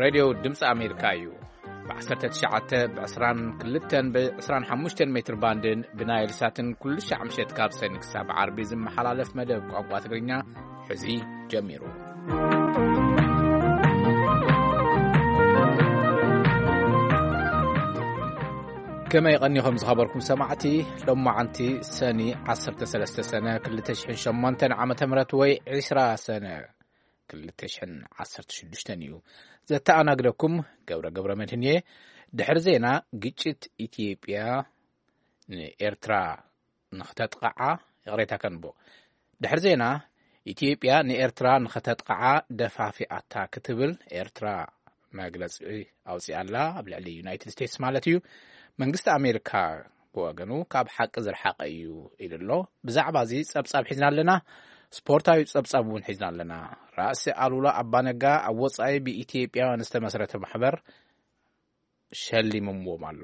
ሬድዮ ድምፂ ኣሜሪካ እዩ። ብ19፣ ብ22፣ ብ25 ሜትር ባንድን ብናይል ሳትን ኩሉ ሻዕ ምሸት ካብ ሰኒ ክሳብ ዓርቢ ዝመሓላለፍ መደብ ቋንቋ ትግርኛ ሕዚ ጀሚሩ። ከመይ ቀኒኹም ዝኸበርኩም ሰማዕቲ? ሎማዓንቲ ሰኒ 13 ሰነ 2008 ዓመተ ምህረት ወይ 20 ሰነ 2016 እዩ። ዘተኣናግደኩም ገብረ ገብረ መድህን እየ። ድሕሪ ዜና፣ ግጭት ኢትዮጵያ ንኤርትራ ንኽተጥቕዓ፣ ይቕሬታ ከንቦ። ድሕሪ ዜና፣ ኢትዮጵያ ንኤርትራ ንኽተጥቕዓ ደፋፊኣታ ክትብል ኤርትራ መግለጺ ኣውጺኣላ፣ ኣብ ልዕሊ ዩናይትድ ስቴትስ ማለት እዩ። መንግስቲ ኣሜሪካ ብወገኑ ካብ ሓቂ ዝረሓቐ እዩ ኢሉ ኣሎ። ብዛዕባ እዚ ጸብጻብ ሒዝና ኣለና። ስፖርታዊ ጸብጻብ እውን ሒዝና ኣለና። ራእሲ ኣሉላ ኣባነጋ ኣብ ወጻኢ ብኢትዮጵያውያን ዝተመስረተ ማሕበር ሸሊምዎም ኣሎ።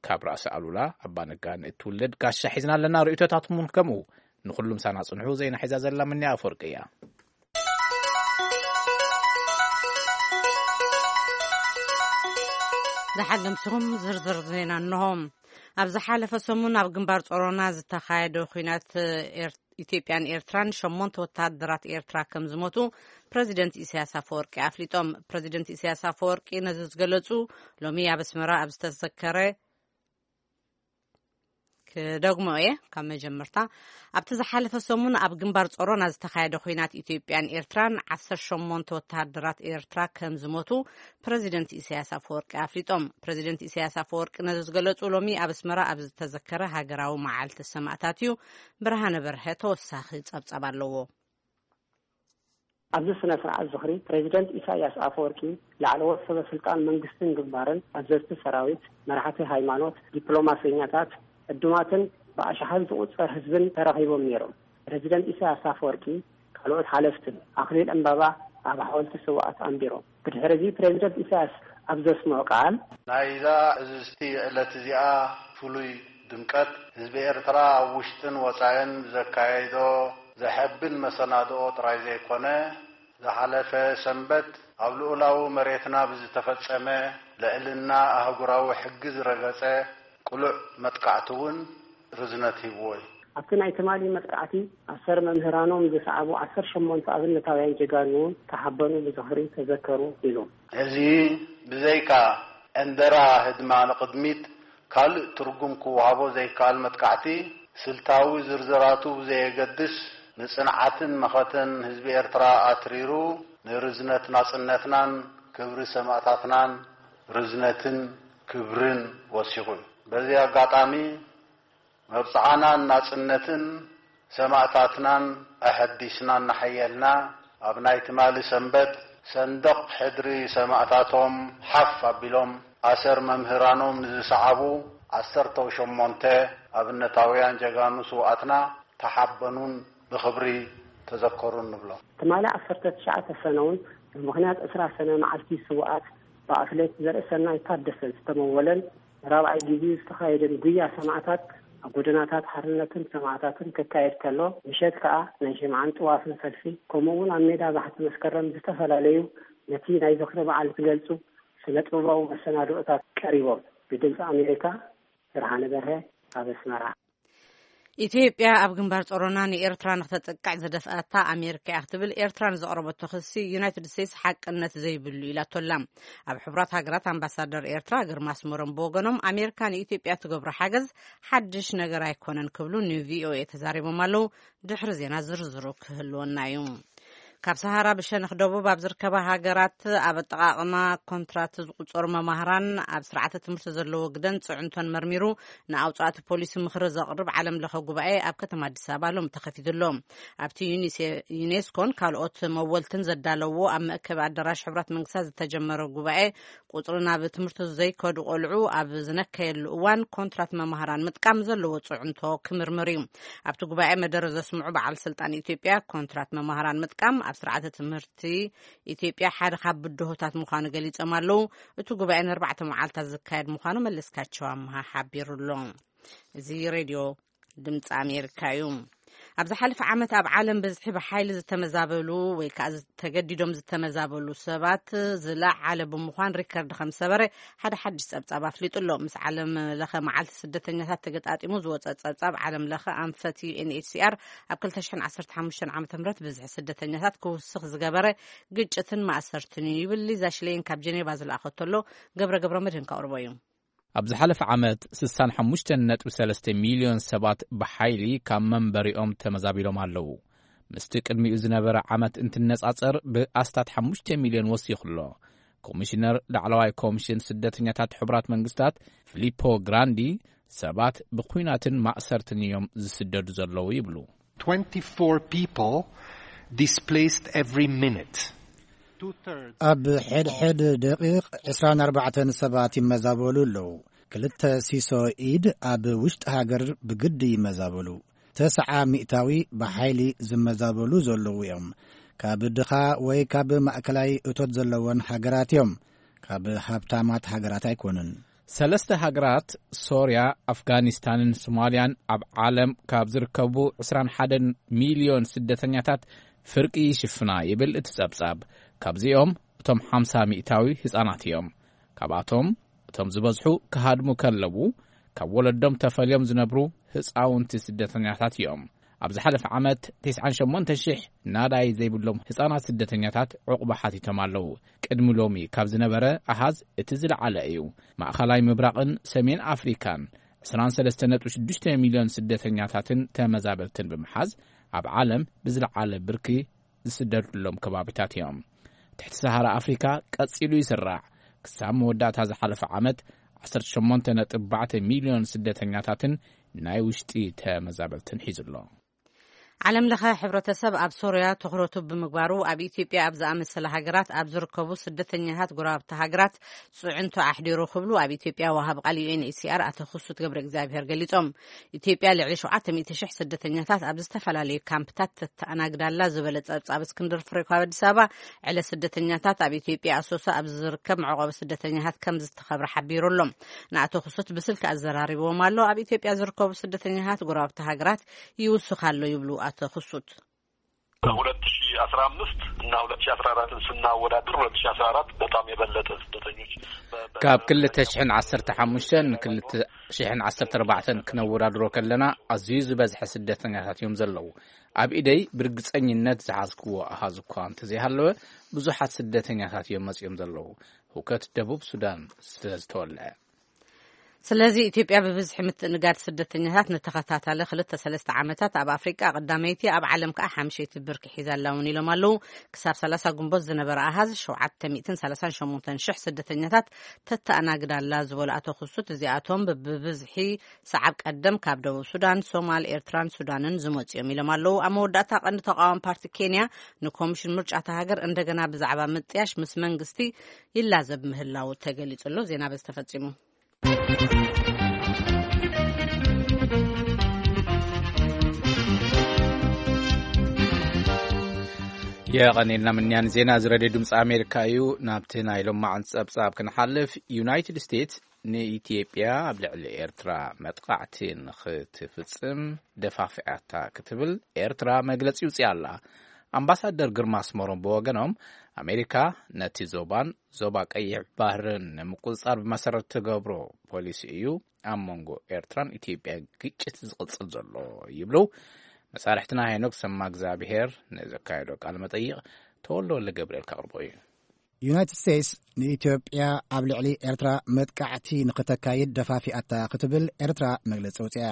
ካብ ራእሲ ኣሉላ ኣባነጋ ንእትውለድ ጋሻ ሒዝና ኣለና። ርእይቶታትኩም እውን ከምኡ። ንኹሉም ሳና ጽንሑ። ዜና ሒዛ ዘላ ምንያ ኣፈወርቂ እያ። ዝሓለምስኹም ዝርዝር ዜና እንሆ። ኣብ ዝሓለፈ ሰሙን ኣብ ግንባር ጾሮና ዝተኻየደ ኲናት ኤር-፣ ኢትዮጵያን ኤርትራን ሸሞንተ ወተሃደራት ኤርትራ ከም ዝሞቱ ፕረዚደንት ኢሳያስ ኣፈወርቂ ኣፍሊጦም። ፕረዚደንት ኢሳያስ ኣፈወርቂ ነዚ ዝገለጹ ሎሚ ኣብ ኣስመራ ኣብ ዝተዘከረ ክደግሞ እየ ካብ መጀመርታ። ኣብቲ ዝሓለፈ ሰሙን ኣብ ግንባር ጾሮና ዝተኻየደ ኲናት ኢትዮጵያን ኤርትራን 18 ወተሃደራት ኤርትራ ከም ዝሞቱ ፕረዚደንት ኢሳያስ ኣፈወርቂ ኣፍሊጦም። ፕረዚደንት ኢሳያስ ኣፈወርቂ ነዚ ዝገለጹ ሎሚ ኣብ ኣስመራ ኣብ ዝተዘከረ ሃገራዊ መዓልቲ ሰማእታት እዩ። ብርሃነ በርሀ ተወሳኺ ጸብጻብ ኣለዎ። ኣብዚ ስነ ስርዓት ዝኽሪ ፕሬዚደንት ኢሳያስ ኣፈወርቂ፣ ላዕለዎት ሰበ ስልጣን መንግስትን ግንባርን፣ ኣዘዝቲ ሰራዊት፣ መራሕቲ ሃይማኖት፣ ዲፕሎማሰኛታት፣ ዕዱማትን ብኣሽሓት ዝቑጸር ህዝብን ተረኺቦም ነይሮም። ፕሬዚደንት ኢሳያስ ኣፈወርቂ ካልኦት ሓለፍትን ኣኽሊል ዕምባባ ኣብ ሓወልቲ ስውኣት ኣንቢሮም። ብድሕሪ እዚ ፕሬዚደንት ኢሳያስ ኣብ ዘስምዖ ቃል፣ ናይዛ ዕዝዝቲ ዕለት እዚኣ ፍሉይ ድምቀት ህዝቢ ኤርትራ ኣብ ውሽጥን ወጻእን ዘካየዶ ዘሐብን መሰናድኦ ጥራይ ዘይኮነ፣ ዝሓለፈ ሰንበት ኣብ ልኡላዊ መሬትና ብዝተፈጸመ ልዕልና ኣህጉራዊ ሕጊ ዝረገጸ ቅሉዕ መጥቃዕቲ እውን ርዝነት ሂብዎ እዩ። ኣብቲ ናይ ትማሊ መጥቃዕቲ ኣሰር መምህራኖም ዝሰዓቡ ዓሰርተ ሸሞንተ ኣብነታውያን ጀጋኑ እውን ተሓበኑ፣ ብዝኽሪ ተዘከሩ ኢሉ። እዚ ብዘይካ ዕንደራ ህድማ ንቕድሚት ካልእ ትርጉም ክወሃቦ ዘይከኣል መጥቃዕቲ፣ ስልታዊ ዝርዝራቱ ብዘየገድስ፣ ንጽንዓትን መኸተን ህዝቢ ኤርትራ ኣትሪሩ፣ ንርዝነት ናጽነትናን ክብሪ ሰማእታትናን ርዝነትን ክብርን ወሲኹ እዩ። በዚ ኣጋጣሚ፣ መብጽዓናን ናጽነትን ሰማእታትናን ኣሐዲስና እናሓየልና፣ ኣብ ናይ ትማሊ ሰንበት ሰንደቕ ሕድሪ ሰማእታቶም ሓፍ ኣቢሎም ኣሰር መምህራኖም ንዝሰዓቡ ዓሰርተ ሸሞንተ ኣብነታውያን ጀጋኑ ስውኣትና ተሓበኑን ብኽብሪ ተዘከሩን ንብሎም። ትማሊ ዓሰርተ ትሽዓተ ሰነ እውን ብምኽንያት ዕስራ ሰነ መዓልቲ ስውኣት ብኣትሌት ዘርእሰናይ ታደሰ ዝተመወለን ንራብዓይ ግዜ ዝተኻየደን ጉያ ሰማዕታት ኣብ ጎደናታት ሓርነትን ሰማዕታትን ክካየድ ከሎ፣ ምሸት ከኣ ናይ ሽምዓን ጥዋፍን ሰልፊ፣ ከምኡ እውን ኣብ ሜዳ ባሕቲ መስከረም ዝተፈላለዩ ነቲ ናይ ዝኽሪ በዓል ዝገልጹ ስነ ጥበባዊ መሰናድኦታት ቀሪቦም። ብድምፂ ኣሜሪካ፣ ብርሃነ በርሀ፣ ኣብ ኣስመራ። ኢትዮጵያ ኣብ ግንባር ጾሮና ንኤርትራ ንክተጥቅዕ ዝደፍኣታ ኣሜሪካ እያ ክትብል ኤርትራ ንዘቕረበቶ ክሲ ዩናይትድ ስቴትስ ሓቅነት ዘይብሉ ኢላቶላ። ኣብ ሕቡራት ሃገራት ኣምባሳደር ኤርትራ ግርማ ኣስመሮም ብወገኖም ኣሜሪካ ንኢትዮጵያ ትገብሮ ሓገዝ ሓድሽ ነገር ኣይኮነን ክብሉ ንቪኦኤ ተዛሪቦም ኣለዉ። ድሕሪ ዜና ዝርዝሩ ክህልወና እዩ። ካብ ሰሃራ ብሸነኽ ደቡብ ኣብ ዝርከባ ሃገራት ኣብ ኣጠቓቕማ ኮንትራት ዝቑጸሩ መማህራን ኣብ ስርዓተ ትምህርቲ ዘለዎ ግደን ጽዕንቶን መርሚሩ ንኣውጻእቲ ፖሊሲ ምኽሪ ዘቕርብ ዓለም ለኸ ጉባኤ ኣብ ከተማ ኣዲስ ኣበባ ሎሚ ተኸፊቱ ኣሎ። ኣብቲ ዩኒሴ-፣ ዩኔስኮን ካልኦት መወልትን ዘዳለዎ ኣብ መእከቢ ኣዳራሽ ሕቡራት መንግስታት ዝተጀመረ ጉባኤ ቁጽሪ ናብ ትምህርቲ ዘይከዱ ቆልዑ ኣብ ዝነከየሉ እዋን ኮንትራት መማህራን ምጥቃም ዘለዎ ጽዕንቶ ክምርምር እዩ። ኣብቲ ጉባኤ መደረ ዘስምዑ በዓል ስልጣን ኢትዮጵያ ኮንትራት መማህራን ምጥቃም ኣብ ስርዓተ ትምህርቲ ኢትዮጵያ ሓደ ካብ ብድሆታት ምዃኑ ገሊጾም ኣለዉ። እቲ ጉባኤ ንኣርባዕተ መዓልታት ዝካየድ ምዃኑ መለስካቸው ኣምሃ ሓቢሩ ኣሎ። እዚ ሬድዮ ድምፂ ኣሜሪካ እዩ። ኣብ ዝሓለፈ ዓመት ኣብ ዓለም ብዝሒ ብሓይሊ ዝተመዛበሉ ወይ ከዓ ተገዲዶም ዝተመዛበሉ ሰባት ዝለዓለ ብምዃን ሪከርድ ከም ሰበረ ሓደ ሓድሽ ጸብጻብ ኣፍሊጡ ኣሎ። ምስ ዓለም ለኸ መዓልቲ ስደተኛታት ተገጣጢሙ ዝወጸ ጸብጻብ ዓለም ለኸ ኣንፈት ዩ ኤን ኤች ሲ ኣር ኣብ ክልተ ሽሕን ዓሰርተ ሓሙሽተን ዓመተ ምህረት ብዝሒ ስደተኛታት ክውስኽ ዝገበረ ግጭትን ማእሰርትን እዩ ይብል። ሊዛ ሽሌን ካብ ጀኔቫ ዝለኣኸቶ ኣሎ። ገብረ ገብረ መድህን ከቕርቦ እዩ። ኣብ ዝሓለፈ ዓመት ስሳን ሓሙሽተን ነጥቢ ሰለስተ ሚልዮን ሰባት ብሓይሊ ካብ መንበሪኦም ተመዛቢሎም ኣለዉ። ምስቲ ቅድሚኡ ዝነበረ ዓመት እንትነጻጸር ብኣስታት ሓሙሽተ ሚልዮን ወሲኹ ኣሎ። ኮሚሽነር ላዕለዋይ ኮሚሽን ስደተኛታት ሕቡራት መንግስታት ፊሊፖ ግራንዲ ሰባት ብኲናትን ማእሰርትን እዮም ዝስደዱ ዘለዉ ይብሉ። twenty-four people displaced every minute. Two-thirds. ኣብ ሕድሕድ ደቂቕ ዕስራን ኣርባዕተን ሰባት ይመዛበሉ ኣለዉ። ክልተ ሲሶ ኢድ ኣብ ውሽጢ ሃገር ብግዲ ይመዛበሉ። ተስዓ ሚእታዊ ብሓይሊ ዝመዛበሉ ዘለዉ እዮም። ካብ ድኻ ወይ ካብ ማእከላይ እቶት ዘለወን ሃገራት እዮም። ካብ ሃብታማት ሃገራት ኣይኮኑን። ሰለስተ ሃገራት፣ ሶርያ፣ ኣፍጋኒስታንን ሶማልያን፣ ኣብ ዓለም ካብ ዝርከቡ ዕስራን ሓደን ሚልዮን ስደተኛታት ፍርቂ ይሽፍና ይብል እቲ ጸብጻብ። ካብዚኦም እቶም ሓምሳ ሚእታዊ ህጻናት እዮም። ካብኣቶም እቶም ዝበዝሑ ክሃድሙ ከለዉ፣ ካብ ወለዶም ተፈልዮም ዝነብሩ ህጻውንቲ ስደተኛታት እዮም። ኣብ ዝሓለፈ ዓመት ተስዓን ሸሞንተ ሽሕ ናዳይ ዘይብሎም ህጻናት ስደተኛታት ዕቑባ ሓቲቶም ኣለዉ። ቅድሚ ሎሚ ካብ ዝነበረ ኣሃዝ እቲ ዝለዓለ እዩ። ማእኸላይ ምብራቕን ሰሜን ኣፍሪካን ዕስራን ሰለስተ ነጥቢ ሽዱሽተ ሚልዮን ስደተኛታትን ተመዛበልትን ብምሓዝ፣ ኣብ ዓለም ብዝለዓለ ብርኪ ዝስደዱሎም ከባቢታት እዮም። ትሕቲ ሰሃራ ኣፍሪካ ቀጺሉ ይስራዕ። ክሳብ መወዳእታ ዝሓለፈ ዓመት ዓሰርተ ሸሞንተ ነጥቢ ኣርባዕተ ሚልዮን ስደተኛታትን ናይ ውሽጢ ተመዛበልትን ሒዙ ኣሎ። ዓለም ለኸ ሕብረተሰብ ኣብ ሶርያ ትኹረቱ ብምግባሩ፣ ኣብ ኢትዮጵያ ኣብ ዝኣመሰለ ሃገራት ኣብ ዝርከቡ ስደተኛታት ጎረባብቲ ሃገራት ጽዕንቶ ኣሕዲሩ ክብሉ ኣብ ኢትዮጵያ ወሃብ ቃል ዩ ኤን ኤች ሲ ኣር ኣቶ ክሱት ገብረ እግዚኣብሔር ገሊጾም። ኢትዮጵያ ልዕሊ ሸውዓተ ሚእቲ ሽሕ ስደተኛታት ኣብ ዝተፈላለዩ ካምፕታት ተተኣናግዳላ ዝበለ ጸብጻብ እስክንድር ፍሬው ካብ ኣዲስ ኣበባ፣ ዕለ ስደተኛታት ኣብ ኢትዮጵያ ኣሶሳ ኣብ ዝርከብ መዕቆቢ ስደተኛታት ከም ዝተኸብረ ሓቢሩ ኣሎ። ንኣቶ ክሱት ብስልኪ ኣዘራሪብዎም ኣሎ። ኣብ ኢትዮጵያ ዝርከቡ ስደተኛታት ጎረባብቲ ሃገራት ይውስኽ ኣሎ ይብሉ ኣቶ ክሱት። ሁለት ሺ አስራ አምስት እና ሁለት ሺ አስራ አራት ስናወዳድር ሁለት ሺ አስራ አራት በጣም የበለጠ ስደተኞች በ- በ- ካብ ክልተ ሽሕን ዓሰርተ ሓሙሽተን ንክልተ ሽሕን ዓሰርተ ኣርባዕተን ክነወዳድሮ ከለና ኣዝዩ ዝበዝሐ ስደተኛታት እዮም ዘለዉ። ኣብ ኢደይ ብርግጸኝነት ዝሓዝክዎ ኣሃዝ እኳ እንተዘይሃለወ ብዙሓት ስደተኛታት እዮም መጺኦም ዘለዉ። ህውከት ደቡብ ሱዳን ስለ ዝተወልዐ። ስለዚ ኢትዮጵያ ብብዝሒ ምትእንጋድ ስደተኛታት ንተኸታታሊ ክልተ ሰለስተ ዓመታት ኣብ ኣፍሪቃ ቀዳመይቲ ኣብ ዓለም ከኣ ሓምሸይቲ ብርኪ ሒዛ ኣላ እውን ኢሎም ኣለዉ። ክሳብ ሰላሳ ግንቦት ዝነበረ ኣሃዝ ሸውዓተ ሚእትን ሰላሳን ሸሞንተን ሽሕ ስደተኛታት ተተኣናግድ ኣላ ዝበሉ ኣቶ ክሱት እዚኣቶም ብብዝሒ ሰዓብ ቀደም ካብ ደቡብ ሱዳን፣ ሶማል፣ ኤርትራን ሱዳንን ዝመጹ እዮም ኢሎም ኣለዉ። ኣብ መወዳእታ ቀንዲ ተቃዋሚ ፓርቲ ኬንያ ንኮሚሽን ምርጫ እታ ሃገር እንደገና ብዛዕባ ምጥያሽ ምስ መንግስቲ ይላዘብ ምህላው ተገሊጹ ኣሎ። ዜና በዚ ተፈጺሙ። የቐኔልና ምንያን ዜና እዚ ሬድዮ ድምፂ ኣሜሪካ እዩ። ናብቲ ናይ ሎማዓንቲ ጸብጻብ ክንሓልፍ፣ ዩናይትድ ስቴትስ ንኢትዮጵያ ኣብ ልዕሊ ኤርትራ መጥቓዕቲ ንኽትፍጽም ደፋፊኣታ ክትብል ኤርትራ መግለጺ ውፅያ ኣላ። ኣምባሳደር ግርማ ኣስመሮም ብወገኖም፣ ኣሜሪካ ነቲ ዞባን ዞባ ቀይሕ ባህርን ንምቁፅፃር ብመሰረት ትገብሮ ፖሊሲ እዩ ኣብ መንጎ ኤርትራን ኢትዮጵያ ግጭት ዝቕፅል ዘሎ ይብሉ። መሳርሕትና ሄኖክ ሰማ እግዚኣብሄር ንዘካየዶ ቃለ መጠይቕ ተወልደ ወልደ ገብርኤል ከቕርቦ እዩ። ዩናይትድ ስቴትስ ንኢትዮጵያ ኣብ ልዕሊ ኤርትራ መጥቃዕቲ ንኽተካይድ ደፋፊኣታ ክትብል ኤርትራ መግለጺ ኣውጺኣ።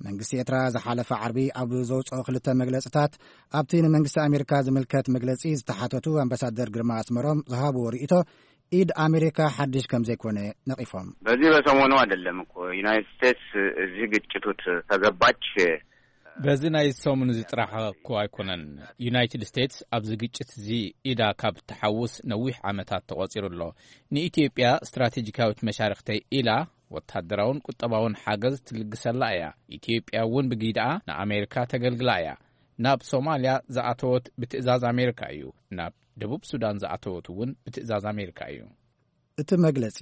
መንግስቲ ኤርትራ ዝሓለፈ ዓርቢ ኣብ ዘውጽኦ ክልተ መግለጽታት፣ ኣብቲ ንመንግስቲ ኣሜሪካ ዝምልከት መግለጺ ዝተሓተቱ ኣምባሳደር ግርማ ኣስመሮም ዝሃብዎ ርእይቶ፣ ኢድ ኣሜሪካ ሓድሽ ከም ዘይኮነ ነቒፎም። በዚህ በሰሞኑ አይደለም እኮ ዩናይትድ ስቴትስ እዚህ ግጭት ውስጥ ከገባች። በዚ ናይ ሰሙን እዚ ጥራሕ እኮ ኣይኮነን። ዩናይትድ ስቴትስ ኣብዚ ግጭት እዚ ኢዳ ካብ ትሓውስ ነዊሕ ዓመታት ተቖጺሩ ኣሎ። ንኢትዮጵያ ስትራቴጂካዊት መሻርኽተይ ኢላ ወታደራውን ቁጠባውን ሓገዝ ትልግሰላ እያ። ኢትዮጵያ እውን ብጊድኣ ንኣሜሪካ ተገልግላ እያ። ናብ ሶማልያ ዝኣተወት ብትእዛዝ ኣሜሪካ እዩ። ናብ ደቡብ ሱዳን ዝኣተወት እውን ብትእዛዝ ኣሜሪካ እዩ። እቲ መግለጺ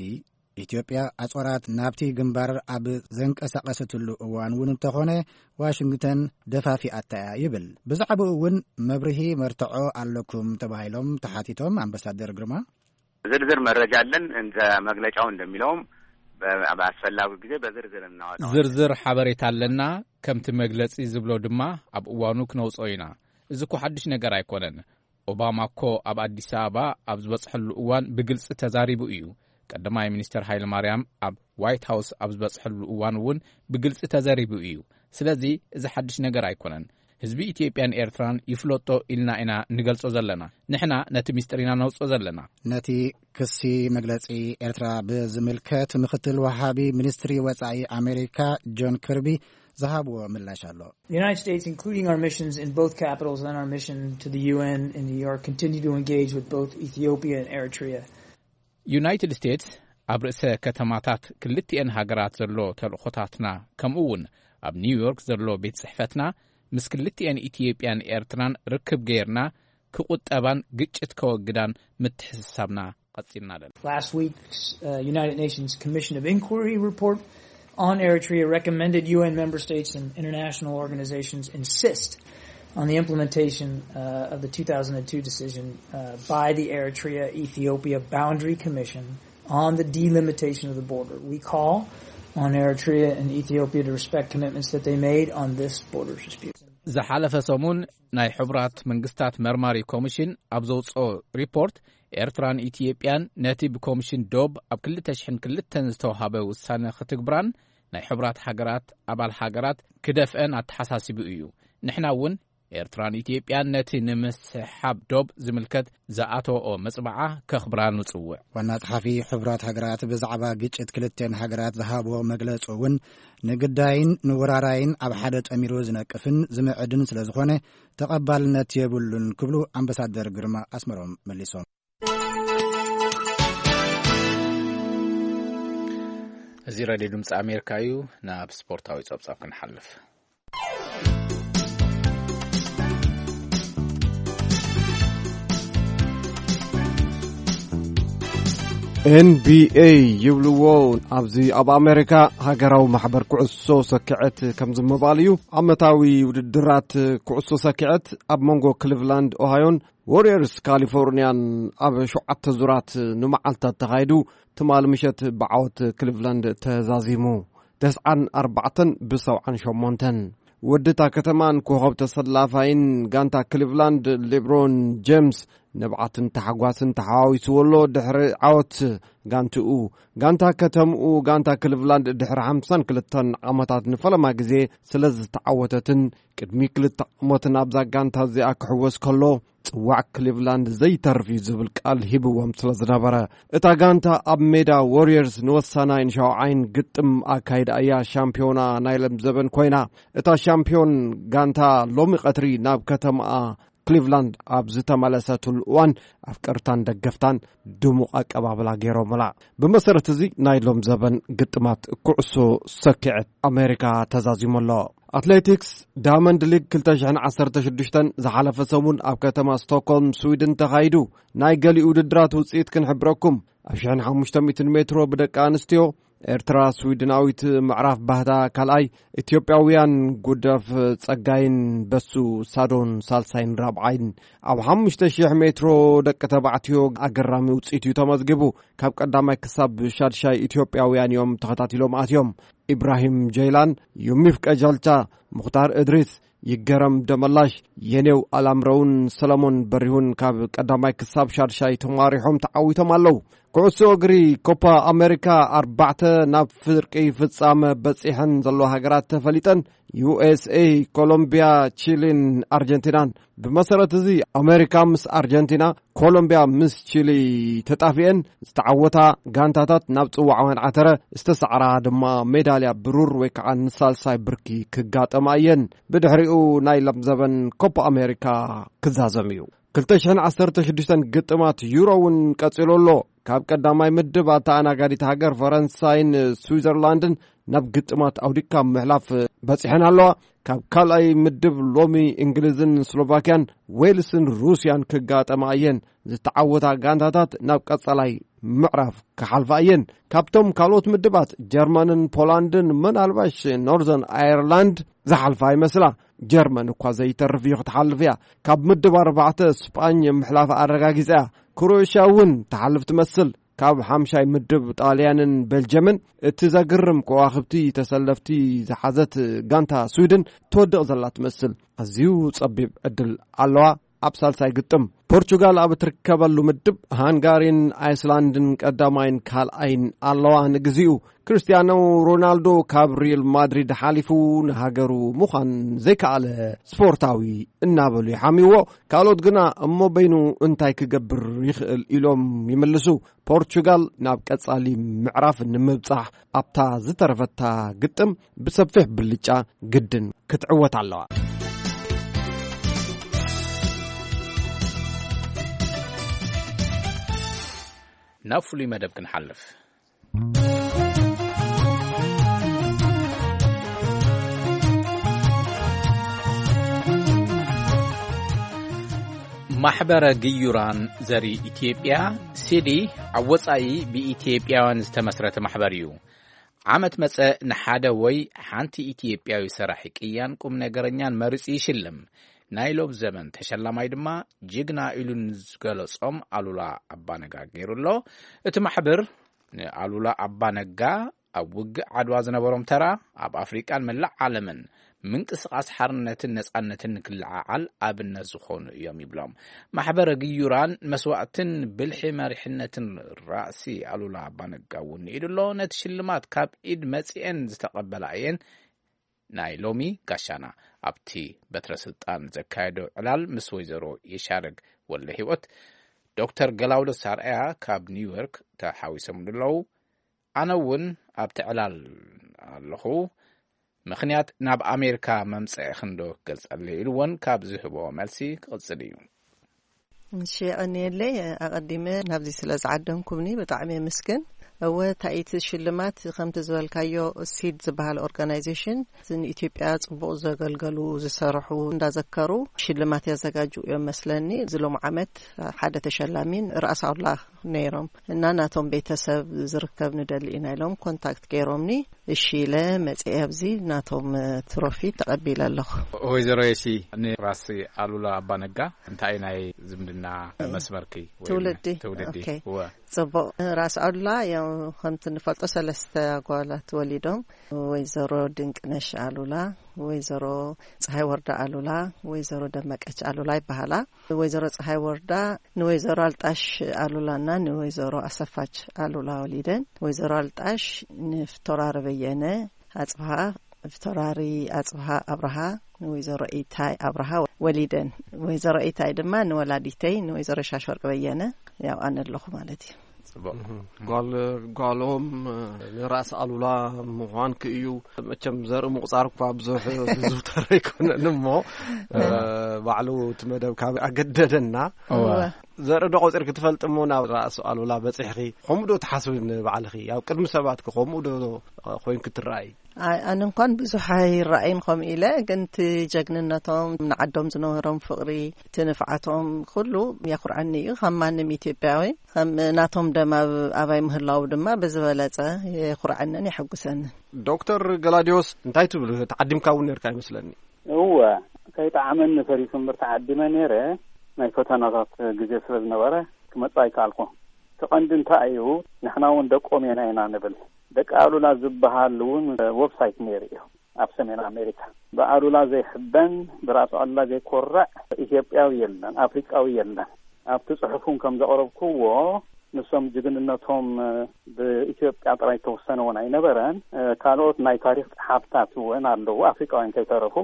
ኢትዮጵያ ኣጾራት ናብቲ ግንባር ኣብ ዘንቀሳቐሰትሉ እዋን እውን እንተኾነ ዋሽንግተን ደፋፊኣታ እያ ይብል። ብዛዕባኡ እውን መብርሂ መርትዖ ኣለኩም ተባሂሎም ተሓቲቶም ኣምባሳደር ግርማ፣ ዝርዝር መረጃ አለን። እንደ መግለጫው እንደሚለውም በ- በአስፈላጊው ጊዜ በዝርዝር እናወጣዋለን። ዝርዝር ሓበሬታ ኣለና። ከምቲ መግለጺ ዝብሎ ድማ ኣብ እዋኑ ክነውጾ ኢና። እዚ እኮ ሓድሽ ነገር ኣይኮነን። ኦባማ እኮ ኣብ ኣዲስ ኣበባ ኣብ ዝበጽሐሉ እዋን ብግልጺ ተዛሪቡ እዩ። ቀዳማይ ሚኒስተር ሃይለ ማርያም ኣብ ዋይት ሃውስ ኣብ ዝበጽሐሉ እዋን እውን ብግልጺ ተዘሪቡ እዩ። ስለዚ እዚ ሓድሽ ነገር ኣይኮነን። ህዝቢ ኢትዮጵያን ኤርትራን ይፍለጦ ኢልና ኢና ንገልጾ ዘለና። ንሕና ነቲ ሚስጥር ኢና ነውጽኦ ዘለና። ነቲ ክሲ መግለጺ ኤርትራ ብዝምልከት ምክትል ወሃቢ ሚኒስትሪ ወጻኢ ኣሜሪካ ጆን ክርቢ ዝሃብዎ ምላሽ ኣሎ። The United States, including our missions in both capitals and our mission to the U N in New York, continue to engage with both Ethiopia and Eritrea. ዩናይትድ ስቴትስ ኣብ ርእሰ ከተማታት ክልቲኤን ሃገራት ዘሎ ተልእኾታትና፣ ከምኡ እውን ኣብ ኒውዮርክ ዘሎ ቤት ጽሕፈትና ምስ ክልቲኤን ኢትዮጵያን ኤርትራን ርክብ ገይርና ክቑጠባን ግጭት ከወግዳን ምትሕስሳብና ቀጺልና ኣለና። Last week's uh, United Nations Commission of Inquiry report on Eritrea recommended U N member states and international organizations insist on the implementation uh, of the two thousand two decision uh, by the Eritrea Ethiopia Boundary Commission on the delimitation of the border. We call on Eritrea and Ethiopia to respect commitments that they made on this border dispute. ዝሓለፈ ሰሙን ናይ ሕቡራት መንግስታት መርማሪ ኮሚሽን ኣብ ዘውፅኦ ሪፖርት፣ ኤርትራን ኢትዮጵያን ነቲ ብኮሚሽን ዶብ ኣብ ክልተ ሽሕን ክልተን ዝተውሃበ ውሳነ ክትግብራን ናይ ሕቡራት ሃገራት ኣባል ሃገራት ክደፍአን ኣተሓሳሲቡ እዩ። ንሕና እውን ኤርትራን ኢትዮጵያን ነቲ ንምስሕሓብ ዶብ ዝምልከት ዝኣተወኦ መጽብዓ ከኽብራ ንጽውዕ። ዋና ጸሓፊ ሕቡራት ሃገራት ብዛዕባ ግጭት ክልተን ሃገራት ዝሃቦ መግለጹ እውን ንግዳይን ንወራራይን ኣብ ሓደ ጠሚሩ ዝነቅፍን ዝምዕድን ስለ ዝኾነ ተቐባልነት የብሉን ክብሉ ኣምባሳደር ግርማ ኣስመሮም መሊሶም። እዚ ሬድዮ ድምፂ ኣሜሪካ እዩ። ናብ ስፖርታዊ ጸብጻብ ክንሓልፍ። ኤንቢኤ ይብልዎ። ኣብዚ ኣብ ኣሜሪካ ሃገራዊ ማሕበር ኩዕሶ ሰኪዐት ከምዚ ምባል እዩ። ዓመታዊ ውድድራት ኩዕሶ ሰኪዐት ኣብ መንጎ ክሊቭላንድ ኦሃዮን ዎሪየርስ ካሊፎርንያን ኣብ ሸውዓተ ዙራት ንመዓልታት ተኻይዱ፣ ትማሊ ምሸት ብዓወት ክሊቭላንድ ተዛዚሙ። ተስዓን ኣርባዕተን ብሰብዓን ሸሞንተን። ወዲ እታ ከተማን ኮኸብ ተሰላፋይን ጋንታ ክሊቭላንድ ሌብሮን ጄምስ ንብዓትን ታሕጓስን ተሓዋዊስዎ ኣሎ። ድሕሪ ዓወት ጋንትኡ፣ ጋንታ ከተምኡ፣ ጋንታ ክሊቭላንድ ድሕሪ ሓምሳን ክልተን ዓመታት ንፈለማ ግዜ ስለ ዝተዓወተትን ቅድሚ ክልተ ዓመትን ኣብዛ ጋንታ እዚኣ ክሕወስ ከሎ፣ ጽዋዕ ክሊቭላንድ ዘይተርፍ እዩ ዝብል ቃል ሂብዎም ስለ ዝነበረ፣ እታ ጋንታ ኣብ ሜዳ ዎሪየርስ ንወሳናይን ሻውዓይን ግጥም ኣካይዳ እያ ሻምፒዮና ናይ ለም ዘበን ኮይና። እታ ሻምፒዮን ጋንታ ሎሚ ቀትሪ ናብ ከተማኣ ክሊቭላንድ ኣብ ዝተመለሰትሉ እዋን ኣፍቀርታን ደገፍታን ድሙቕ ኣቀባብላ ገይሮምላ። ብመሰረት እዚ ናይ ሎም ዘበን ግጥማት ኩዕሶ ሰኪዐት ኣሜሪካ ተዛዚሙ ኣሎ። ኣትሌቲክስ ዳያመንድ ሊግ ክልተ ሽሕን ዓሰርተ ሽዱሽተን ዝሓለፈ ሰሙን ኣብ ከተማ ስቶክሆልም ስዊድን ተኻይዱ። ናይ ገሊኡ ውድድራት ውፅኢት ክንሕብረኩም። ኣብ ሽሕን ሓሙሽተ ሚእትን ሜትሮ ብደቂ ኣንስትዮ ኤርትራ ስዊድናዊት ምዕራፍ ባህታ ካልኣይ፣ ኢትዮጵያውያን ጉደፍ ጸጋይን በሱ ሳዶን ሳልሳይን ራብዓይን፣ ኣብ ሓሙሽተ ሽሕ ሜትሮ ደቂ ተባዕትዮ ኣገራሚ ውጽኢት እዩ ተመዝጊቡ። ካብ ቀዳማይ ክሳብ ሻድሻይ ኢትዮጵያውያን እዮም ተኸታቲሎም ኣትዮም። ኢብራሂም ጀይላን፣ ዩሚፍ ቀጃልቻ፣ ሙኽታር እድሪስ፣ ይገረም ደመላሽ፣ የኔው ኣላምረውን ሰለሞን በሪሁን ካብ ቀዳማይ ክሳብ ሻድሻይ ተማሪሖም ተዓዊቶም ኣለዉ። ኩዕሶ እግሪ ኮፓ ኣሜሪካ ኣርባዕተ ናብ ፍርቂ ፍጻመ በጺሐን ዘለዋ ሃገራት ተፈሊጠን። ዩ ኤስ ኤ፣ ኮሎምቢያ፣ ቺሊን ኣርጀንቲናን። ብመሰረት እዚ ኣሜሪካ ምስ ኣርጀንቲና፣ ኮሎምቢያ ምስ ቺሊ ተጣፊኤን ዝተዓወታ ጋንታታት ናብ ጽዋዕ ወንዓተረ ዝተሳዕራ ድማ ሜዳልያ ብሩር ወይ ከዓ ንሳልሳይ ብርኪ ክጋጠማ እየን። ብድሕሪኡ ናይ ሎም ዘበን ኮፓ ኣሜሪካ ክዛዘም እዩ። ክልተ ሽሕን ዓሰርተ ሽዱሽተን ግጥማት ዩሮ እውን ቀጺሉ ኣሎ። ካብ ቀዳማይ ምድብ ኣተኣናጋዲት ሃገር ፈረንሳይን ስዊዘርላንድን ናብ ግጥማት ኣውዲካ ምሕላፍ በጺሐን ኣለዋ። ካብ ካልኣይ ምድብ ሎሚ እንግሊዝን ስሎቫኪያን፣ ዌልስን ሩስያን ክጋጠማ እየን። ዝተዓወታ ጋንታታት ናብ ቀጻላይ ምዕራፍ ክሓልፋ እየን። ካብቶም ካልኦት ምድባት ጀርመንን ፖላንድን፣ ምናልባሽ ኖርዘርን ኣየርላንድ ዝሓልፋ ይመስላ። ጀርመን እኳ ዘይተርፍ እዩ ክትሓልፍ እያ። ካብ ምድብ ኣርባዕተ ስጳኝ ምሕላፍ ኣረጋጊጻ እያ። ክሮኤሽያ እውን ትሓልፍ ትመስል። ካብ ሓምሻይ ምድብ ጣልያንን ቤልጅየምን እቲ ዘግርም ከዋኽብቲ ተሰለፍቲ ዝሓዘት ጋንታ ስዊድን ትወድቕ ዘላ ትመስል። ኣዝዩ ጸቢብ ዕድል ኣለዋ። ኣብ ሳልሳይ ግጥም ፖርቹጋል ኣብ እትርከበሉ ምድብ ሃንጋሪን ኣይስላንድን ቀዳማይን ካልኣይን ኣለዋ። ንግዚኡ ክርስቲያኖ ሮናልዶ ካብ ሪል ማድሪድ ሓሊፉ ንሃገሩ ምዃን ዘይከኣለ ስፖርታዊ እናበሉ ይሓምይዎ። ካልኦት ግና እሞ በይኑ እንታይ ክገብር ይኽእል ኢሎም ይምልሱ። ፖርቹጋል ናብ ቀጻሊ ምዕራፍ ንምብጻሕ ኣብታ ዝተረፈታ ግጥም ብሰፊሕ ብልጫ ግድን ክትዕወት ኣለዋ። ናብ ፍሉይ መደብ ክንሓልፍ። ማሕበረ ግዩራን ዘርኢ ኢትዮጵያ፣ ሲዲ፣ ኣብ ወጻኢ ብኢትዮጵያውያን ዝተመስረተ ማሕበር እዩ። ዓመት መጸ ንሓደ ወይ ሓንቲ ኢትዮጵያዊ ሰራሒ ቅያን ቁም ነገረኛን መሪጹ ይሽልም። ናይ ሎብ ዘመን ተሸላማይ ድማ ጅግና ኢሉ ንዝገለጾም ኣሉላ ኣባነጋ ገይሩ ኣሎ። እቲ ማሕበር ንኣሉላ ኣባነጋ ኣብ ውግእ ዓድዋ ዝነበሮም ተራ፣ ኣብ ኣፍሪቃን መላእ ዓለምን ምንቅስቃስ ሓርነትን ነጻነትን ንክለዓዓል ኣብነት ዝኾኑ እዮም ይብሎም። ማሕበረ ግዩራን መስዋእትን ብልሒ መሪሕነትን ራእሲ ኣሉላ ኣባነጋ እውን ንኢዱ ኣሎ። ነቲ ሽልማት ካብ ኢድ መጺኤን ዝተቐበላ እየን ናይ ሎሚ ጋሻና። ኣብቲ በትረ ስልጣን ዘካየዶ ዕላል ምስ ወይዘሮ የሻረግ ወልደ ህይወት፣ ዶክተር ገላውደስ ኣርኣያ ካብ ኒውዮርክ ተሓዊሶም ኣለዉ። ኣነ እውን ኣብቲ ዕላል ኣለኹ። ምኽንያት ናብ ኣሜሪካ መምጽእኽን ዶ ክገልጸለይ ኢሉ እውን ካብ ዝህቦ መልሲ ክቕጽል እዩ። እሺ፣ የቐንየለይ። ኣቐዲመ ናብዚ ስለ ዝዓደምኩምኒ ብጣዕሚ የመስግን። እወ፣ ታይቲ ሽልማት ከምቲ ዝበልካዮ ሲድ ዝበሃል ኦርጋናይዜሽን ንኢትዮጵያ ጽቡቕ ዘገልገሉ ዝሰርሑ እንዳዘከሩ ሽልማት ያዘጋጁ እዮም መስለኒ። እዚ ሎሚ ዓመት ሓደ ተሸላሚን ራእሲ ኣሉላ ነይሮም እና ናቶም ቤተሰብ ዝርከብ ንደሊ ኢና ኢሎም ኮንታክት ገይሮምኒ። እሺ ኢለ መጽኤ ኣብዚ ናቶም ትሮፊ ተቐቢለ ኣለኹ። ወይዘሮ የሺ፣ ንራስ ኣሉላ ኣባነጋ እንታይ ናይ ዝምድና መስመርኪ ወይ ትውልዲ? ትውልዲ? ኦኬ። እወ። ጽቡቕ። ራስ ኣሉላ ያው ከምቲ ንፈልጦ ሰለስተ ኣጓላት ወሊዶም፣ ወይዘሮ ድንቅነሽ ኣሉላ፣ ወይዘሮ ፀሐይ ወርዳ ኣሉላ፣ ወይዘሮ ደመቀች ኣሉላ ይበሃላ። ወይዘሮ ፀሐይ ወርዳ ንወይዘሮ ኣልጣሽ ኣሉላና ንወይዘሮ ኣሰፋች ኣሉላ ወሊደን። ወይዘሮ ኣልጣሽ ንፍቶራሪ በየነ ኣጽብሃ፣ ፍቶራሪ ኣጽብሃ ኣብርሃ ንወይዘሮ ኢታይ ኣብርሃ ወሊደን። ወይዘሮ ኢታይ ድማ ንወላዲተይ ንወይዘሮ ሻሽወርቅ በየነ ያው ኣነ ኣለኹ ማለት እዩ። ጽቡቕ። ጓል ጓሎም ንራስ ኣሉላ ምዃንክ እዩ። መቸም ዘርኢ ምቑጻር እኳ ብዙሕ ዝዝውተር ኣይኮነን እሞ፣ እ፣ ባዕሉ እቲ መደብ ካብ ኣገደደና፣ እወ። ዘርኢ ዶ ቆጺርክ ትፈልጥ እሞ ናብ ራእሲ ኣሉላ በጺሕኺ? ከምኡ ዶ ትሓስቢ ንባዕልኺ? ኣብ ቅድሚ ሰባትክ ከምኡ ዶ ኮይንክ ትረኣይ? ኣይ፣ ኣነ እንኳን ብዙሕ ኣይረኣይን ከምኡ ኢለ፣ ግን እቲ ጀግንነቶም፣ ንዓዶም ዝነበሮም ፍቕሪ፣ እቲ ንፍዓቶም ኩሉ የኹርዐኒ እዩ። ከም ማንም ኢትዮጵያዊ፣ ከም ናቶም ደም ኣብ ኣባይ ምህላው ድማ ብዝበለጸ የኹርዐንን የሐጉሰንን። ዶክተር ገላዲዮስ፣ እንታይ ትብል? ተዓዲምካ እውን ነርካ ይመስለኒ። እወ፣ ከይጠዓመኒ ፈሪሱ እምበር ተዓዲመ ነይረ። ናይ ፈተናታት ግዜ ስለ ዝነበረ ክመጽእ ኣይከኣልኩ። እቲ ቀንዲ እንታይ እዩ? ንሕና እውን ደቆም ኢና ኢና ንብል። ደቂ ኣሉላ ዝበሃል እውን ዌብሳይት ነይሩ እዩ ኣብ ሰሜን ኣሜሪካ። ብኣሉላ ዘይሕበን፣ ብራእሲ ኣሉላ ዘይኮርዕ ኢትዮጵያዊ የለን፣ ኣፍሪቃዊ የለን። ኣብቲ ጽሑፍ እውን ከም ዘቕረብክዎ፣ ንሶም ጅግንነቶም ብኢትዮጵያ ጥራይ ተወሰነ እውን ኣይነበረን። ካልኦት ናይ ታሪኽ ጸሓፍታት እውን ኣለዉ፣ ኣፍሪቃውያን ከይተረፉ።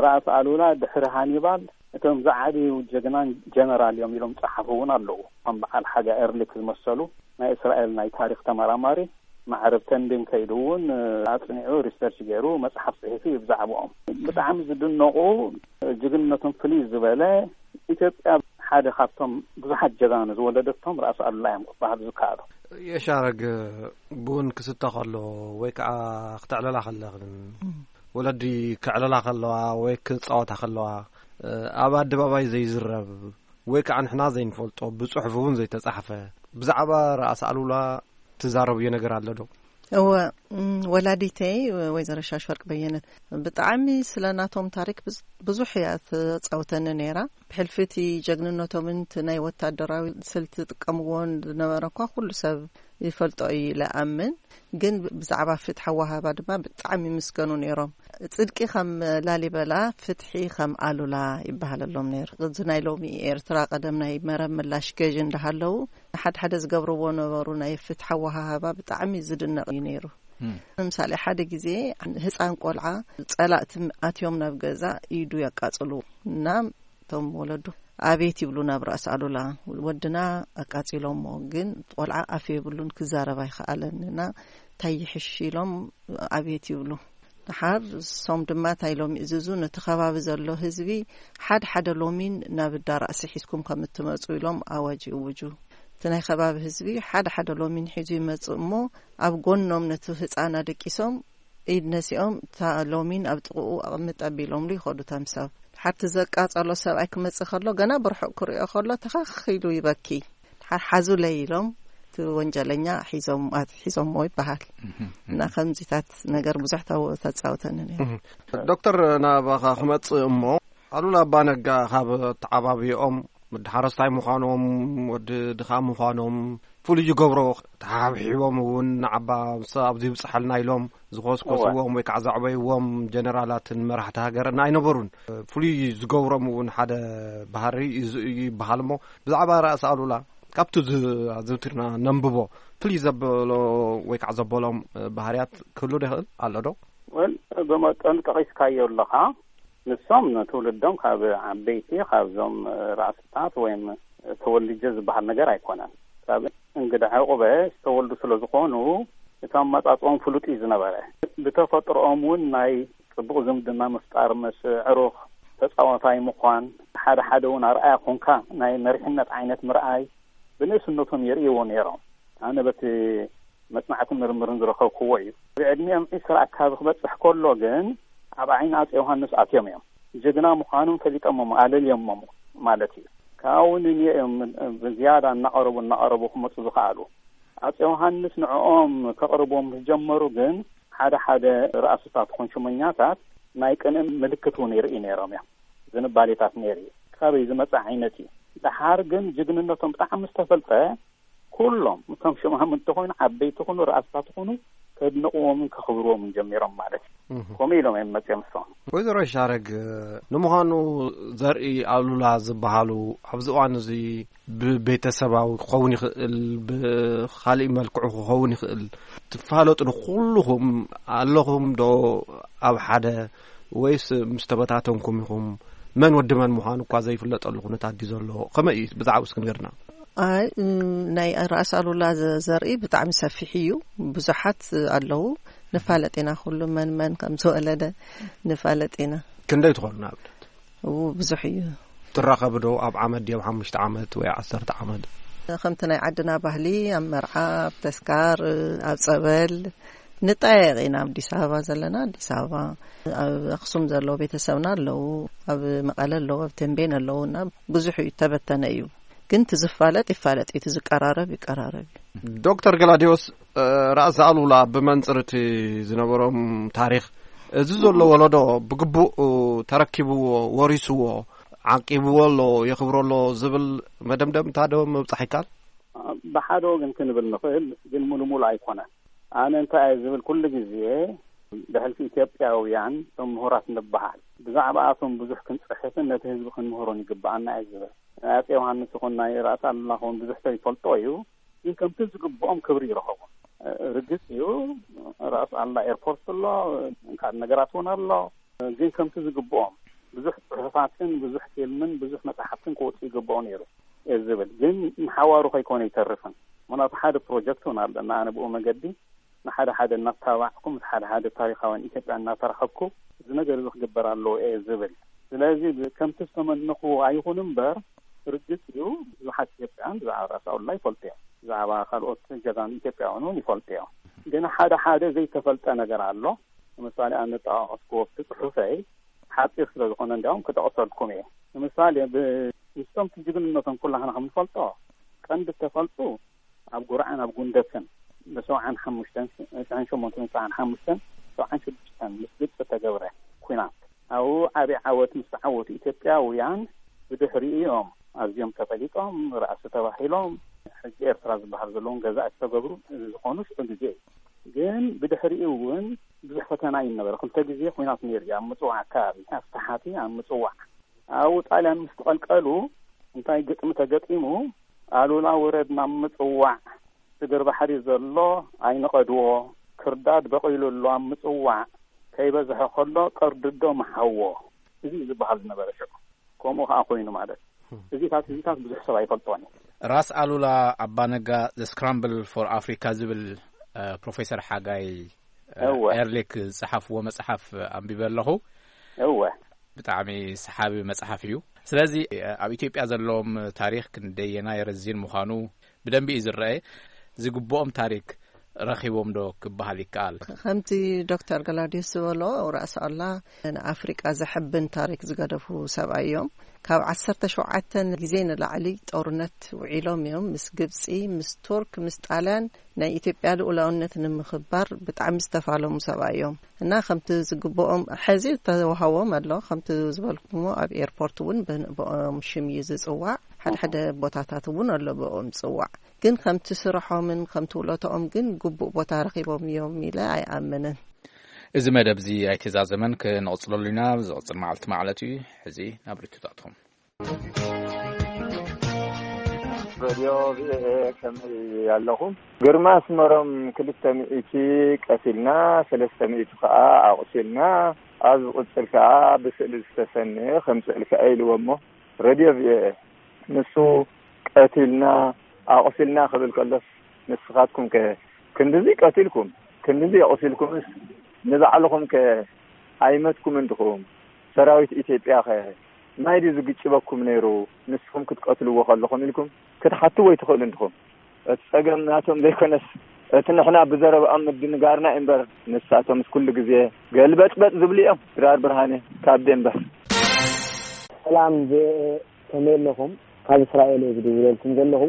ራእሲ ኣሉላ ድሕሪ ሃኒባል እቶም ዝዓበዩ ጀግናን ጀነራል እዮም ኢሎም ጸሓፉ እውን ኣለዉ። ከም በዓል ሓጋ ኤርሊክ ዝመሰሉ ናይ እስራኤል ናይ ታሪኽ ተመራማሪ ማዕረብ ተንቤን ከይዱ እውን ኣጽኒዑ ሪሰርች ገይሩ መጽሓፍ ጽሒፉ እዩ ብዛዕባኦም። ብጣዕሚ ዝድነቑ፣ ጅግንነቶም ፍልይ ዝበለ፣ ኢትዮጵያ ሓደ ካብቶም ብዙሓት ጀጋኑ ዝወለደቶም ራእሲ ኣሉላ እዮም ክበሃሉ ዝከኣሉ። የሻረግ፣ ቡን ክስተ ከሎ ወይ ከዓ ክተዕለላ ከለኽን፣ ወለዲ ከዕለላ ከለዋ ወይ ክጻወታ ከለዋ፣ ኣብ ኣደባባይ ዘይዝረብ ወይ ከዓ ንሕና ዘይንፈልጦ፣ ብጽሑፍ እውን ዘይተጻሕፈ፣ ብዛዕባ ራእሲ ኣሉላ ትዛረብዮ ነገር ኣሎ ዶ? እወ፣ እም፣ ወላዲተይ ወይዘሮ ሻሽወርቅ በየነ ብጣዕሚ ስለ ናቶም ታሪክ ብዙ- ብዙሕ እያ ተጻውተኒ ነይራ። ብሕልፊ እቲ ጀግንነቶምን እቲ ናይ ወታደራዊ ስልቲ ዝጥቀምዎን ዝነበረ እኳ ኩሉ ሰብ ይፈልጦ እዩ ኢለ ኣምን። ግን ብዛዕባ ፍትሒ ኣወሃህባ ድማ ብጣዕሚ ይምስገኑ ነይሮም። ጽድቂ ከም ላሊበላ፣ ፍትሒ ከም ኣሉላ ይበሃለሎም ነይሩ። እዚ ናይ ሎሚ ኤርትራ ቀደም ናይ መረብ ምላሽ ገዥ እንዳሃለዉ ሓደ ሓደ ዝገብርዎ ነበሩ። ናይ ፍትሒ ኣወሃህባ ብጣዕሚ ዝድነቕ እዩ ነይሩ። ንምሳሌ ሓደ ግዜ ህፃን ቆልዓ ጸላእቲ ኣትዮም ናብ ገዛ ኢዱ የቃጽሉ እና እቶም ወለዱ ኣቤት ይብሉ ናብ ራእሲ ኣሉላ። ወድና ኣቃጺሎሞ ግን ቆልዓ ኣፍ የብሉን፣ ክዛረብ ኣይኸኣለን እና እንታይ ይሕሽ ኢሎም ኣቤት ይብሉ። ደሓር እሶም ድማ እንታይ ኢሎም ይእዝዙ? ነቲ ከባቢ ዘሎ ህዝቢ ሓደ ሓደ ሎሚን ናብ እዳ ራእሲ ሒዝኩም ከም እትመጹ ኢሎም ኣዋጅ ይእውጁ። እቲ ናይ ከባቢ ህዝቢ ሓደ ሓደ ሎሚን ሒዙ ይመጽእ እሞ ኣብ ጎኖም ነቲ ህጻን ኣደቂሶም ኢድ ነሲኦም እታ ሎሚን ኣብ ጥቕኡ ኣቕምጥ ኣቢሎምሉ ይኸዱ። ተምሳብ ሓርቲ ዘቃጸሎ ሰብኣይ ክመጽእ ከሎ ገና ብርሑቕ ክሪኦ ከሎ ተኸኽ ኢሉ ይበኪ። ሓሓዙለይ ኢሎም እቲ ወንጀለኛ ሒዞም ኣትሒዞሞ ይበሃል። እና ከምዚታት ነገር ብዙሕ ተው- ተጻውተኒ ነይሩ። ዶክተር፣ ናባኻ ክመጽእ እሞ፣ ኣሉላ ኣባነጋ ካብ ተዓባብዮኦም፣ ወዲ ሓረስታይ ምዃኖም፣ ወዲ ድኻ ምዃኖም፣ ፍሉይ ዝገብሮ፣ ተሓብሒቦም እውን ንዓባ ምስ ኣብዚ ይብጽሓልና ኢሎም ዝኮስኮስዎም ወይ ከዓ ዘዕበይዎም ጀነራላትን መራሕቲ ሃገርን ኣይነበሩን። ፍሉይ ዝገብሮም እውን ሓደ ባህሪ እዩ ይበሃል። እሞ ብዛዕባ ራእሲ ኣሉላ ካብቲ ዝ- ኣዘውቲርና ነንብቦ ፍልይ ዘበሎ ወይ ከዓ ዘበሎም ባህርያት ክህሉ ዶ ይኽእል ኣሎ ዶ? ወል ብመጠኑ ጠቒስካዮ ኣለኻ። ንሶም ንትውልዶም ካብ ዓበይቲ ካብዞም ራእስታት ወይም ተወልጀ ዝበሃል ነገር ኣይኮነን። ካብ እንግዳ ዕቑበ ዝተወልዱ ስለ ዝኾኑ እቲ ኣመጻጽኦም ፍሉጥ እዩ ዝነበረ። ብተፈጥሮኦም እውን ናይ ጽቡቕ ዝምድና ምፍጣር ምስ ዕሩኽ ተጻዋታይ ምዃን፣ ሓደ ሓደ እውን ኣርኣያ ኮንካ ናይ መሪሕነት ዓይነት ምርኣይ ብንእስነቶም የርእይዎ ነይሮም። ኣነ በቲ መጽናዕትን ምርምርን ዝረኸብክዎ እዩ። ብዕድሚኦም ዒስራ ኣካባቢ ክበጽሕ ከሎ ግን ኣብ ዓይኒ ኣጼ ዮሃንስ ኣትዮም እዮም። ጀግና ምዃኖም ፈሊጦሞም ኣለልዮሞም ማለት እዩ። ካብኡ ንንዮ እዮም ብዝያዳ እናቐረቡ እናቐረቡ ክመጹ ዝኸኣሉ። ኣጼ ዮሃንስ ንዕኦም ከቕርቦም ዝጀመሩ ግን ሓደ ሓደ ራእስታት ኮንሽመኛታት ናይ ቅንእ ምልክት እውን ይርኢ ነይሮም እዮም። ዝንባሌታት ነይሩ እዩ። ካበይ ዝመጽእ ዓይነት እዩ። ደሓር ግን ጅግንነቶም ብጣዕሚ ዝተፈልጠ ኩሎም እቶም ሽማም እንተኾይኑ ዓበይቲ ኹኑ ራእስታት ኹኑ ከድንቕዎምን ከኽብርዎምን ጀሚሮም ማለት እዩ። ከምኡ ኢሎም እዮም መጽኦም እሶም። ወይዘሮ ይሻረግ፣ ንምዃኑ ዘርኢ ኣሉላ ዝበሃሉ ኣብዚ እዋን እዚ ብቤተሰባዊ ክኸውን ይኽእል፣ ብኻሊእ መልክዑ ክኸውን ይኽእል፣ ትፋለጡ ንኩልኹም ኣለኹም ዶ ኣብ ሓደ ወይስ ምስ ተበታተንኩም ኢኹም? መን ወዲ መን ምዃኑ እኳ ዘይፍለጠሉ ኩነታት ድዩ ዘሎ? ከመይ እዩ ብዛዕባኡ እስኪ ንገርና። ኣይ፣ እም፣ ናይ ራእሲ ኣሉላ ዘ- ዘርኢ ብጣዕሚ ሰፊሕ እዩ። ብዙሓት ኣለዉ። ንፋለጥ ኢና፣ ኩሉ መን መን ከም ዝወለደ ንፋለጥ ኢና። ክንደይ ትኾኑ ንኣብነት? እው፣ ብዙሕ እዩ። ትራኸቡ ዶ ኣብ ዓመት ድዩ፣ ኣብ ሓሙሽተ ዓመት ወይ ዓሰርተ ዓመት? ከምቲ ናይ ዓድና ባህሊ ኣብ መርዓ፣ ኣብ ተስካር፣ ኣብ ጸበል ንጠያየቕ ኢና። ኣብ ኣዲስ ኣበባ ዘለና ኣዲስ ኣበባ፣ ኣብ ኣኽሱም ዘለዉ ቤተሰብና ኣለዉ፣ ኣብ መቐለ ኣለዉ፣ ኣብ ተንቤን ኣለዉ እና ብዙሕ እዩ፣ ተበተነ እዩ። ግን እቲ ዝፋለጥ ይፋለጥ እዩ፣ እቲ ዝቀራረብ ይቀራረብ እዩ። ዶክተር ገላዲዮስ፣ እ፣ ራእሲ ኣሉላ ብመንጽር እቲ ዝነበሮም ታሪኽ፣ እዚ ዘሎ ወለዶ ብግቡእ ተረኪብዎ፣ ወሪስዎ፣ ዓቂብዎ ኣሎ፣ የኽብሮ ኣሎ ዝብል መደምደምታ ዶ ምብጻሕ ይከኣል? ብሓደ ወገን ክንብል ንኽእል፣ ግን ሙሉ ሙሉ ኣይኮነን። ኣነ እንታይ እየ ዝብል፣ ኩሉ ግዜ ብሕልፊ ኢትዮጵያውያን እቶም ምሁራት ንበሃል፣ ብዛዕባኣቶም ብዙሕ ክንጽሕፍን ነቲ ህዝቢ ክንምህሮን ይግብኣና እየ ዝብል። ናይ ኣጼ ዮሃንስ ይኹን ናይ ራእሲ ኣሉላ ኹን ብዙሕ ሰብ ይፈልጦ እዩ፣ ግን ከምቲ ዝግብኦም ክብሪ ይረኸቡ። ርግጽ እዩ፣ ራእሲ ኣሉላ ኤርፖርት ኣሎ፣ ካልእ ነገራት እውን ኣሎ። ግን ከምቲ ዝግብኦም ብዙሕ ጽሑፋትን ብዙሕ ፊልምን ብዙሕ መጽሓፍትን ክወጽእ ይግብኦ ነይሩ እየ ዝብል። ግን ንሓዋሩ ከይኮነ ይተርፍን። ምኽንያቱ ሓደ ፕሮጀክት እውን ኣለና። ኣነ ብኡ መገዲ ንሓደ ሓደ እናተባዕኩ ምስ ሓደ ሓደ ታሪኻውያን ኢትዮጵያ እናተራኸብኩ እዚ ነገር እዚ ክግበር ኣለዎ እየ ዝብል። ስለዚ ብ- ከምቲ ዝተመነኹዎ ኣይኹን እምበር ርግጽ እዩ ብዙሓት ኢትዮጵያውያን ብዛዕባ ራእሲ ኣሉላ ይፈልጡ እዮም። ብዛዕባ ካልኦት ጀጋኑ ኢትዮጵያውያን እውን ይፈልጡ እዮም። ግን ሓደ ሓደ ዘይተፈልጠ ነገር ኣሎ። ንምሳሌ ኣነ ጠቓቐስክዎ ኣብቲ ጽሑፈይ ሓጺር ስለ ዝኾነ እንዲያውም ክጠቕሰልኩም እየ። ንምሳሌ ብ- ምስቶም ጅግንነቶም ኩላህና ከም ንፈልጦ ቀንዲ እተፈልጡ ኣብ ጉርዓን ኣብ ጉንደትን ብሰብዓን ሓሙሽተን፣ ሰብዓን ሸሞንተን፣ ሰብዓን ሓሙሽተን፣ ሰብዓን ሽዱሽተን ምስ ግብፂ ተገብረ ኲናት፣ ኣብኡ ዓብዪ ዓወት ምስ ተዓወቱ ኢትዮጵያውያን፣ ብድሕሪኡ እዮም ኣዝዮም ተፈሊጦም፣ ራእሲ ተባሂሎም፣ ሕጂ ኤርትራ ዝበሃል ዘለዎም ገዛእቲ ዝተገብሩ ዝኾኑ ሽዑ ግዜ እዩ። ግን ብድሕሪኡ እውን ብዙሕ ፈተና እዩ ነበረ። ክልተ ግዜ ኲናት ነይሩ እዩ፣ ኣብ ምጽዋዕ ኣካባቢ፣ ኣብ ተሓቲ፣ ኣብ ምጽዋዕ። ኣብኡ ጣልያን ምስ ተቐልቀሉ፣ እንታይ ግጥሚ ተገጢሙ፣ ኣሉላ ውረድ ናብ ምጽዋዕ፣ ስግር ባሕሪ ዘሎ ኣይንቐድዎ፣ ክርዳድ በቒሉ ኣሎ ኣብ ምጽዋዕ፣ ከይበዝሐ ከሎ ቀርድዶ ምሓዎ። እዚ እዩ ዝበሃል ዝነበረ ሽዑ። ከምኡ ከኣ ኮይኑ ማለት። እዚታት፣ እዚታት ብዙሕ ሰብ ኣይፈልጦን እዩ። ራስ ኣሉላ ኣባነጋ፣ The Scramble for Africa ዝብል፣ እ፣ ፕሮፌሰር ሓጋይ፣ እ፣ እወ። ኤርሊክ ዝጸሓፍዎ መጽሓፍ ኣንቢበ ኣለኹ። እወ። ብጣዕሚ ሰሓቢ መጽሓፍ እዩ። ስለዚ፣ እ፣ ኣብ ኢትዮጵያ ዘለዎም ታሪኽ ክንደየናይ ረዚን ምዃኑ ብደንቢ እዩ ዝረአ። ዝግብኦም ታሪኽ ረኺቦም ዶ ክበሃል ይከኣል? ከምቲ ዶክተር ገላውዲዮስ ዝበሎ፣ ራእሲ ኣሉላ ንኣፍሪቃ ዘሐብን ታሪኽ ዝገደፉ ሰብኣይ እዮም። ካብ ዓሰርተ ሸውዓተ ግዜ ንላዕሊ ጦርነት ውዒሎም እዮም። ምስ ግብጺ፣ ምስ ቱርክ፣ ምስ ጣልያን ናይ ኢትዮጵያ ልኡላውነት ንምኽባር ብጣዕሚ ዝተፋለሙ ሰብኣይ እዮም። እና ከምቲ ዝግብኦም ሕዚ ዝተዋህቦም ኣሎ። ከምቲ ዝበልኩሞ ኣብ ኤርፖርት እውን ብ-፣ ብኦም ሽም እዩ ዝጽዋዕ። ሓደ ሓደ ቦታታት እውን ኣሎ ብኦም ዝጽዋዕ። ግን ከምቲ ስርሖምን ከምቲ ውለቶኦም ግን ግቡእ ቦታ ረኺቦም እዮም ኢለ ኣይኣምንን። እዚ መደብ እዚ ኣይተዛዘመን፣ ክንቕጽለሉ ኢና። ዝቕጽል መዓልቲ ማለት እዩ። ሕዚ ናብ ርቱታትኩም። ሬድዮ ቪኦኤ፣ ከመይ ኣለኹም? ግርማ ኣስመሮም፣ ክልተ ሚእቲ ቀቲልና፣ ሰለስተ ሚእቲ ከኣ ኣቑሲልና፣ ኣብ ዝቕጽል ከኣ ብስእሊ ዝተሰነየ ከምጽእልካ ኢልዎ እሞ፣ ሬድዮ ቪኦኤ፣ ንሱ ቀቲልና ኣቑሲልና ክብል ከሎስ፣ ንስኻትኩም ከ ክንድዚ ቀቲልኩም፣ ክንድዚ ኣቑሲልኩምስ፣ ንባዕልኹም ከ ኣይመትኩምን ድኹም? ሰራዊት ኢትዮጵያ ከ ማይ ድዩ ዝግጭበኩም ነይሩ? ንስኹም ክትቀትልዎ ከለኹም ኢልኩም ክትሓትዎ ኣይትኽእሉን ድኹም? እቲ ጸገም ናቶም ዘይኮነስ፣ እቲ ንሕና ብዘረብኦም ምድንጋርና እዩ እምበር፣ ንሳቶምስ ኩሉ ግዜ ገልበጥበጥ ዝብሉ እዮም። ድራር ብርሃነ ካብ ዴንቨር። ሰላም፣ ብ-፣ ከመይ ኣለኹም? ካብ እስራኤል እየ ዝድውለልኩም ዘለኹ።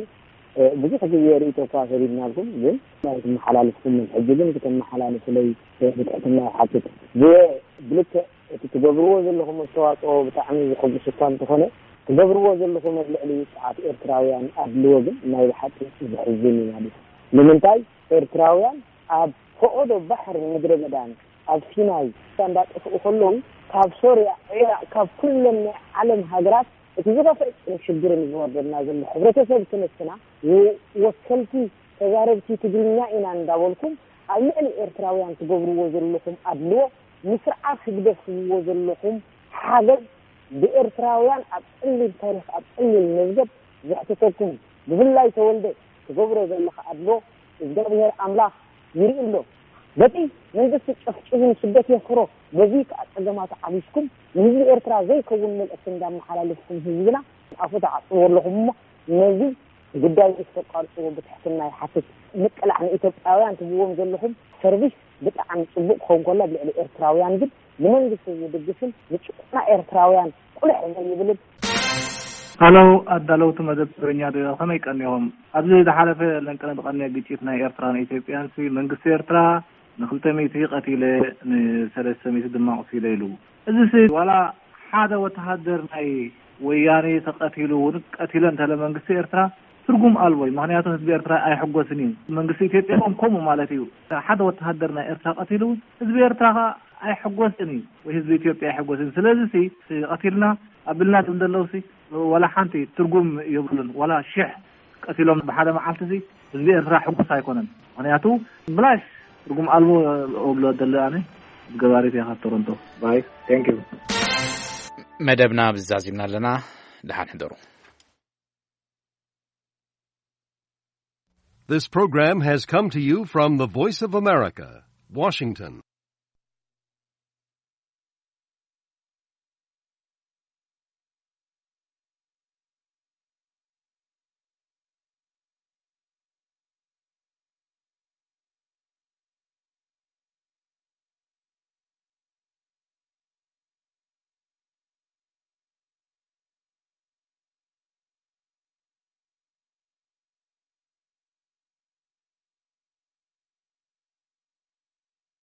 እ፣ ብዙሕ ግዜ ርእይቶ እኳ ሰዲድናልኩም፣ ግን ናይ ትመሓላልፍኩምን ሕጂ ግን ክተመሓላልፉለይ፣ እ፣ ብትሕትና ይሓትት። ብ-፣ ብልክዕ እቲ ትገብርዎ ዘለኹም ኣስተዋጽኦ ብጣዕሚ ዘሐጉስ እኳ እንተኾነ፣ ትገብርዎ ዘለኹም ኣብ ልዕሊ ውጹዓት ኤርትራውያን ኣድልዎ ግን ናይ ብሓቂ ዘሕዝን እዩ ማለት እዩ። ንምንታይ ኤርትራውያን ኣብ ፈቐዶ ባሕሪ ምድረ በዳን ኣብ ሲናይ እንዳጠፍኡ ከለዉ፣ ካብ ሶርያ፣ ዒራቕ፣ ካብ ኩለን ናይ ዓለም ሃገራት እቲ ዝኸፍአ ሽግርን ዝወርደና ዘሎ ሕብረተሰብ ክንስና፣ ወ-፣ ወከልቲ ተዛረብቲ ትግርኛ ኢና እንዳበልኩም ኣብ ልዕሊ ኤርትራውያን ትገብርዎ ዘለኹም ኣድልዎ፣ ንስርዓት ህግደፍ ትህብዎ ዘለኹም ሓገዝ፣ ብኤርትራውያን ኣብ ጸሊም ታሪኽ፣ ኣብ ጸሊም መዝገብ ዘሕትተኩም፣ ብፍላይ ተወልደ ትገብሮ ዘለኻ ኣድልዎ እግዚኣብሔር ኣምላኽ ይርኢ ኣሎ። በቲ መንግስቲ ጨፍጭፉ ንስደት የፍሮ፣ በዚ ከኣ ጸገማት ዓቢስኩም ንህዝቢ ኤርትራ ዘይከውን መልእኽቲ እንዳመሓላለፍኩም ህዝብና ኣፉ ተዓጽዎ ኣለኹም እሞ ነዚ ጉዳይ እዚ ክተቋርጽዎ ብትሕትና ይሓትት። ምቅላዕ ንኢትዮጵያውያን ትህብዎም ዘለኹም ሰርቪስ ብጣዕሚ ጽቡቕ ክኸውን ከሎ፣ ኣብ ልዕሊ ኤርትራውያን ግን ንመንግስቲ ዝድግፍን ንጭቆና ኤርትራውያን ቁልሕ ዘይብልን። ሃሎ፣ ኣዳለውቲ መደብ ትግርኛ ዶ ከመይ ቀኒኹም? ኣብዚ ዝሓለፈ ለንቅነ ዝቐነየ ግጭት ናይ ኤርትራን ኢትዮጵያን ሲ መንግስቲ ኤርትራ ንክልተ ሚእቲ ቀቲለ ንሰለስተ ሚእቲ ድማ ቁሲለ ኢሉ። እዚ ሲ ዋላ ሓደ ወተሃደር ናይ ወያኔ ተቐቲሉ እውን ቀቲለ እንተለ መንግስቲ ኤርትራ ትርጉም ኣልቦ እዩ። ምኽንያቱ ህዝቢ ኤርትራ ኣይሕጎስን እዩ። መንግስቲ ኢትዮጵያ እውን ከምኡ ማለት እዩ። ሓደ ወተሃደር ናይ ኤርትራ ቀቲሉ እውን ህዝቢ ኤርትራ ኸዓ ኣይሕጎስን እዩ፣ ወይ ህዝቢ ኢትዮጵያ ኣይሕጎስን። ስለዚ ሲ ቀቲልና ኣቢልና ዝብሉ ዘለዉ ሲ ዋላ ሓንቲ ትርጉም የብሉን። ዋላ ሽሕ ቀቲሎም ብሓደ መዓልቲ ሲ ህዝቢ ኤርትራ ሕጉስ ኣይኮነን። ምኽንያቱ ብላሽ ትርጉም ኣልቦ እብሎ ደለ ኣነ ገባሪት እያ ካብ ቶሮንቶ። ባይ። Thank you። መደብና ብዛዚምና ኣለና። ደሓን ሕደሩ። This program has come to you from the Voice of America, Washington.